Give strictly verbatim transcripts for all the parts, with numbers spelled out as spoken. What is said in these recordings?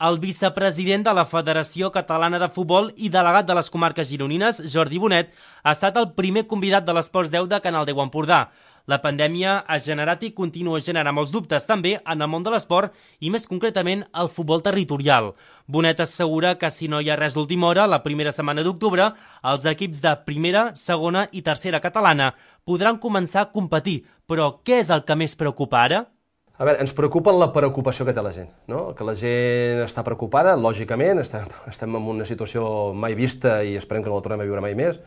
El vicepresident de la Federació Catalana de Futbol i delegat de les comarques gironines, Jordi Bonet, ha estat el primer convidat de l'Esports deu de Canal deu Empordà. La pandèmia ha generat i continua generant molts dubtes també en el món de l'esport i més concretament el futbol territorial. Bonet assegura que si no hi ha res d'última hora, la primera setmana d'octubre, els equips de primera, segona i tercera catalana podran començar a competir. Però què és el que més preocupa ara? A veure, ens preocupa la preocupació que té la gent, no? Que la gent està preocupada, lògicament, estem, estem en una situació mai vista i esperem que no la tornem a viure mai més,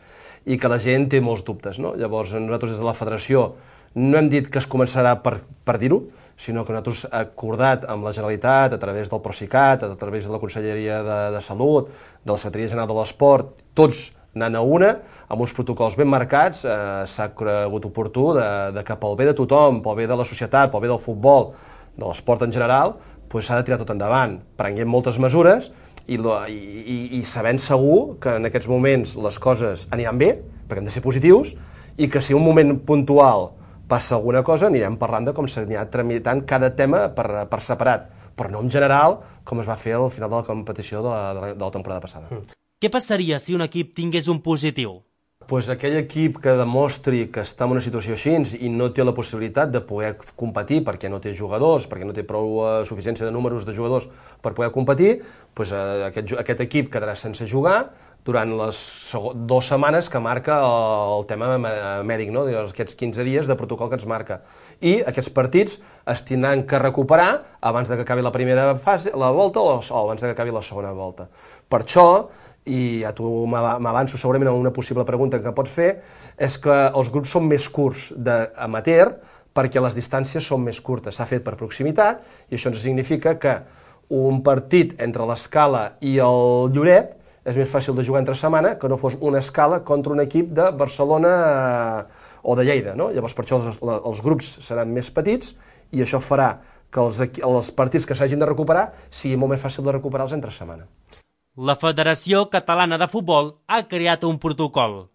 i que la gent té molts dubtes, no? Llavors, nosaltres des de la federació no hem dit que es començarà per, per dir-ho, sinó que nosaltres hem acordat amb la Generalitat, a través del Procicat, a través de la Conselleria de, de Salut, de la Secretaria General de l'Esport, tots anant a una, amb uns protocols ben marcats, eh, s'ha cregut oportú de, de que pel bé de tothom, pel bé de la societat, pel bé del futbol, de l'esport en general, s'ha de tirar tot endavant. Prenguem moltes mesures i, i, i sabent segur que en aquests moments les coses aniran bé, perquè hem de ser positius, i que si un moment puntual passa alguna cosa, anirem parlant de com s'anirà tramitant cada tema per, per separat, però no en general, com es va fer al final de la competició de la, de la, de la temporada passada. Mm. Què passaria si un equip tingués un positiu? Pues aquell equip que demostri que està en una situació així i no té la possibilitat de poder competir perquè no té jugadors, perquè no té prou uh, suficiència de números de jugadors per poder competir, pues, uh, aquest, aquest equip quedarà sense jugar durant les dues setmanes que marca el, el tema mèdic, no? Aquests quinze dies de protocol que ens marca. I aquests partits es tindran que recuperar abans de que acabi la primera fase, la volta, o, o abans de que acabi la segona volta. Per això, i ja tu m'avanço segurament a una possible pregunta que pots fer, és que els grups són més curts d'amateur perquè les distàncies són més curtes. S'ha fet per proximitat i això ens significa que un partit entre l'Escala i el Lloret és més fàcil de jugar entre setmana que no fos una Escala contra un equip de Barcelona o de Lleida, no? Llavors per això els, els grups seran més petits i això farà que els, els partits que s'hagin de recuperar sigui molt més fàcil de recuperar-los entre setmana. La Federació Catalana de Futbol ha creat un protocol.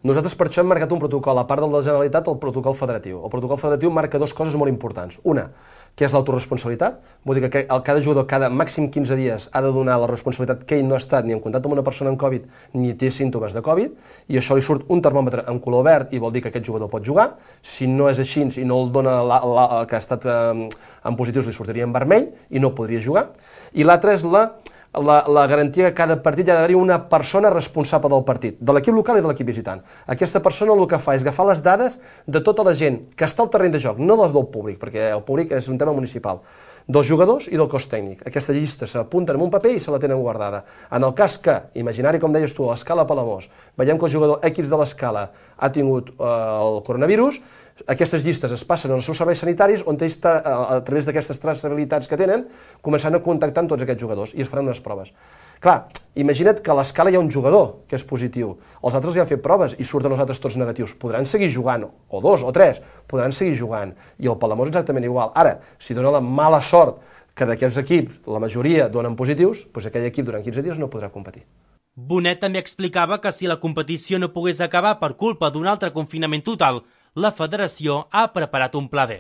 Nosaltres per això hem marcat un protocol, a part del de la Generalitat, el protocol federatiu. El protocol federatiu marca dues coses molt importants. Una, que és l'autoresponsabilitat, vol dir que cada jugador cada màxim quinze dies ha de donar la responsabilitat que ell no ha estat ni en contacte amb una persona amb Covid ni té símptomes de Covid, i això li surt un termòmetre en color verd i vol dir que aquest jugador pot jugar. Si no és així i no el dona la, la, que ha estat eh, en positius, li sortiria en vermell i no podria jugar. I l'altra és la La, la garantia que cada partit hi ha d'haver una persona responsable del partit, de l'equip local i de l'equip visitant. Aquesta persona el que fa és agafar les dades de tota la gent que està al terreny de joc, no les del públic, perquè el públic és un tema municipal, dels jugadors i del cos tècnic. Aquesta llista s'apunta en un paper i se la tenen guardada. En el cas que, imaginari com deies tu, a l'Escala Palamós, veiem que el jugador X de l'Escala ha tingut eh, el coronavirus, aquestes llistes es passen als seus serveis sanitaris on ells, a través d'aquestes traçabilitats que tenen, començant a contactar amb tots aquests jugadors i es faran unes proves. Clar, imagina't que a l'Escala hi ha un jugador que és positiu, els altres li han fet proves i surten els altres tots negatius. Podran seguir jugant, o dos, o tres, podran seguir jugant, i el Palamós exactament igual. Ara, si dona la mala sort que d'aquests equips la majoria donen positius, doncs aquell equip durant quinze dies no podrà competir. Bonet també explicava que si la competició no pogués acabar per culpa d'un altre confinament total, la federació ha preparat un pla B.